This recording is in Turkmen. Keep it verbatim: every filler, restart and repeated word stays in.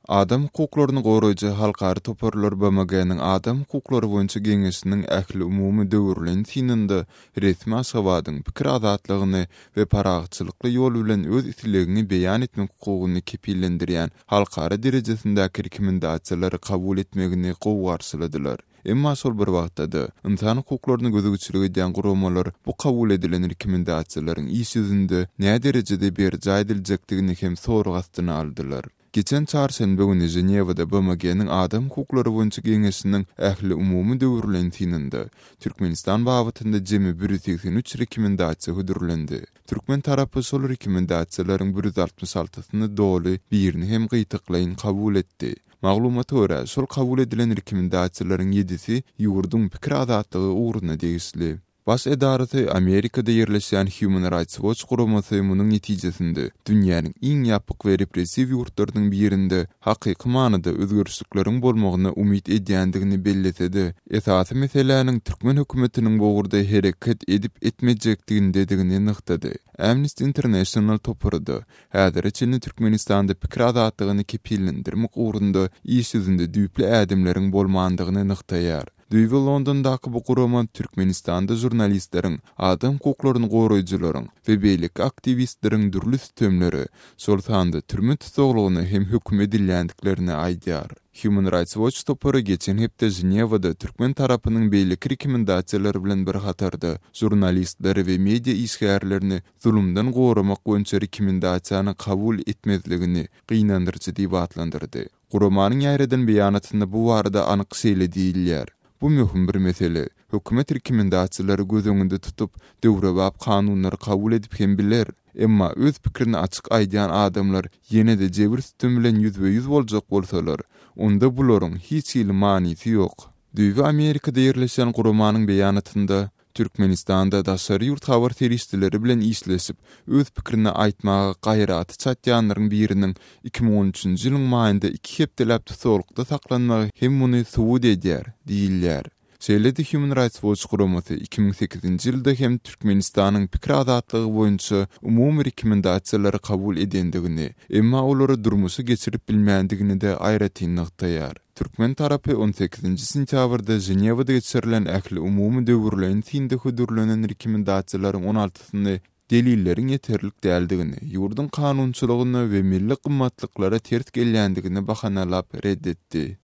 Adam hukuklaryny goraýjy halkara toparlar B M G-niň Adam hukuklary boýunça geňeşiniň ähliumumy döwürleýin synynda resmi Aşgabadyň pikir azatlygyny we parahatçylykly ýol bilen öz islegiňi beýan etmek hukugyny kepillendirýän halkara derejesindäki rekomendasiýalary kabul etmegini gowy garşyladylar. Emma şol bir wagtda-da ynsan hukuklaryny gözegçilik edýän guramalar bu kabul edilen rekomendasiýalaryň iş ýüzünde näderejede berjaý ediljekdigini hem sorag astyna aldylar. Geçen çarşenbe güni Ženewada B M G-niň Adam hukuklary boýunça geňeşiniň ähliumumy döwürleýin synynda Türkmenistan babatynda jemi ýüz segsen üç rekomendasiýa hödürlendi. Türkmen tarapy şol rekomendasiýalaryň ýüz altmyş altysyny doly, birini hem gytaklaýyn kabul etdi. Maglumata görä, şol kabul edilen rekomendasiýalaryň ýedisi ýurduň pikir azatlygy ugruna degişli. Baş edarasy Amerikada ýerleşýän Human Rights Watch guramasy munuň netijesinde dünýäniň iň ýapyk we repressiw ýurtlarynyň birinde hakyky manyda özgerişlikleriň bolmagyna umyt edýändigini bellese-de, esasy meseläniň türkmen hökümetiniň bu ugurda hereket edip etmejekdigindedigini nygtady. Amnesty International topary-da häzire çenli Türkmenistanda pikir azatlygyny kepillendirmek ugrunda iş ýüzünde düýpli ädimleriň bolmandygyny nygtaýar. Düýbi Londondaky bu gurama Türkmenistanda žurnalistleriň, adam hukuklaryny goraýjylaryň we beýleki aktiwistleriň dürli sütemlere, şol sanda türme tussaglygyna hem höküm edilýändiklerini aýdýar. Human Rights Watch topary geçen hepde Ženewada türkmen tarapynyň beýleki rekomendasiýalary bilen bir hatarda žurnalistleri we media işgärlerini zulumdan goramak boýunça rekomendasiýany kabul etmezligini gynandyryjy diýip atlandyrdy. Guramanyň ýaýradan beýanatynda bu barada anyk şeýle diýilýär: Bu möhüm bir mesele. Hökümet rekomendasiýalary göz öňünde tutup, döwrebap kanunlary kabul edip hem biler. Emma öz pikirini açyk aýdýan adamlar ýene-de jebir sütem bilen ýüzbe-ýüz boljak bolsalar, onda bularyň hiç hili manysy ýok. Düýbi Amerikada ýerleşýän guramanyň beýanatynda Türkmenistanda daşary ýurt habar serişdeleri bilen işleşip, öz pikirini aýtmaga gaýraty çatýanlaryň biriniň iki müň on üçünji ýylyň maýynda iki hepdeläp tussaglykda saklanmagy hem muny subut edýär diýilýär. Şeýle-de Human Rights Watch guramasy iki müň sekizinji ýylda hem Türkmenistanyň pikir azatlygy boýunça umumy rekomendasiýalary kabul edendigini, emma olary durmuşa geçirip bilmändigini-de aýratyn nygtaýar. Türkmen tarapy on sekizinji sentýabrda Ženewada geçirilen ähliumumy döwürleýin synda hödürlenen rekomendasiýalaryň on altysyny delilleriň ýeterlik däldigini, ýurduň kanunçylygyna we milli gymmatlyklara ters gelýändigini bahanalap red etdi.